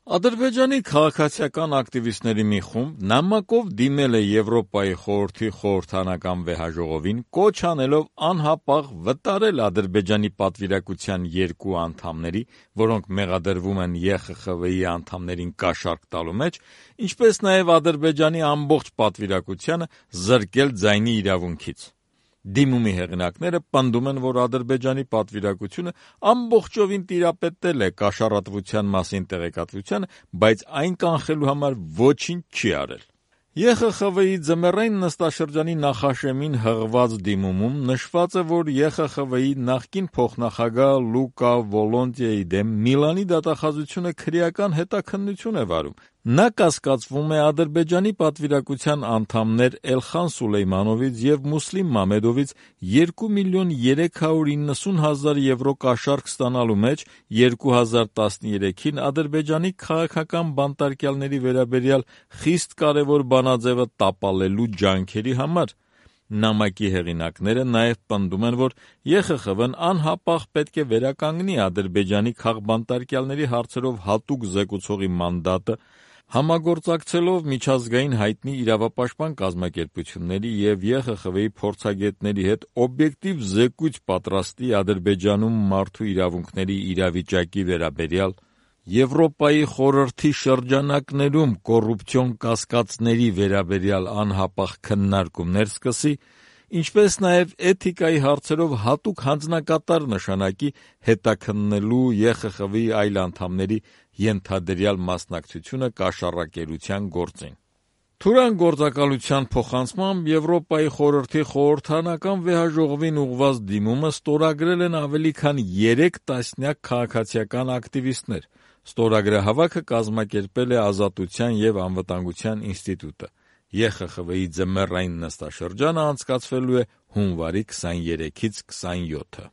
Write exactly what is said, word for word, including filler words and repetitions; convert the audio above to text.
Ադրբեջանի քաղաքացիական ակտիվիստների մի խումբ նամակով դիմել է Եվրոպայի խորհրդի խորհրդանական վեհաժողովին, կոչ անելով անհապաղ վտարել Ադրբեջանի պատվիրակության երկու անդամների, որոնք մեղադրվում են Է Խ Խ V-ի անդամներին կաշառք տալու մեջ, ինչպես նաև Ադրբեջանի ամբողջ պատվիրակությանը զրկել ձայնի իրավունքից։ Դիմումի հեղինակները պնդում են, որ Ադրբեջանի պատվիրակությունը ամբողջովին տիրապետել է կաշառատվության մասին տեղեկատվությանը, բայց այն կանխելու համար ոչինչ չի արել։ Է Խ Խ V-ի ձմեռային նստաշրջանի նախաշեմին հղված դիմումում նշված է, որ Է Խ Խ V-ի նախկին փոխնախագահ Լուկա Վոլոնտիայի դեմ Միլանի դատախազությունը քրեական հետաքննություն է վարում։ Նա կասկածվում է Ադրբեջանի պատվիրակության անդամներ Էլխան Սուլեյմանովից և Մուսլիմ Մամեդովից երկու միլիոն երեք հարյուր իննսուն հազար եվրո կաշառք ստանալու մեջ երկու հազար տասներեքին Ադրբեջանի քաղաքական բանտարկյալների վերաբերյալ խիստ կարևոր բանաձևը տապալելու ջանքերի համար։ Նամակի հեղինակները նաև պնդում են, որ Է Խ Խ V-ն անհապաղ պետք է վերականգնի Ադրբեջանի քաղբանտարկյալների հարցերով հատուկ զեկուցողի մանդատը, համագործակցելով միջազգային հայտնի իրավապաշտպան կազմակերպությունների և Է Խ Խ V-ի փորձագետների հետ օբյեկտիվ զեկույց պատրաստի Ադրբեջանում մարդու իրավունքների իրավիճակի վերաբերյալ, Եվրոպայի խորհրդի շրջանակներում կոռուպցիոն կասկածների վերաբերյալ անհապաղ քննարկումներ սկսի, ինչպես նաև էթիկայի հարցերով հատուկ հանձնակատար նշանակի հետաքննելու Է Խ Խ V-ի այլ անդամների ենթադրյալ մասնակցությունը կաշառակերության գործին։ Թուրան գործակալության փոխանցմամբ Եվրոպայի խորհրդի խորհրդանական վեհաժողովին ուղղված դիմումը ստորագրել են ավելի քան երեք տասնյակ քաղաքացիական ակտիվիստներ։ Ստորագրահավաքը կազմակերպել է Ազատության և անվտանգության ինստիտուտը։ Է Խ Խ V-ի ձմեռային նստաշրջանը անցկացվելու է հունվարի քսաներեքից քսանյոթը։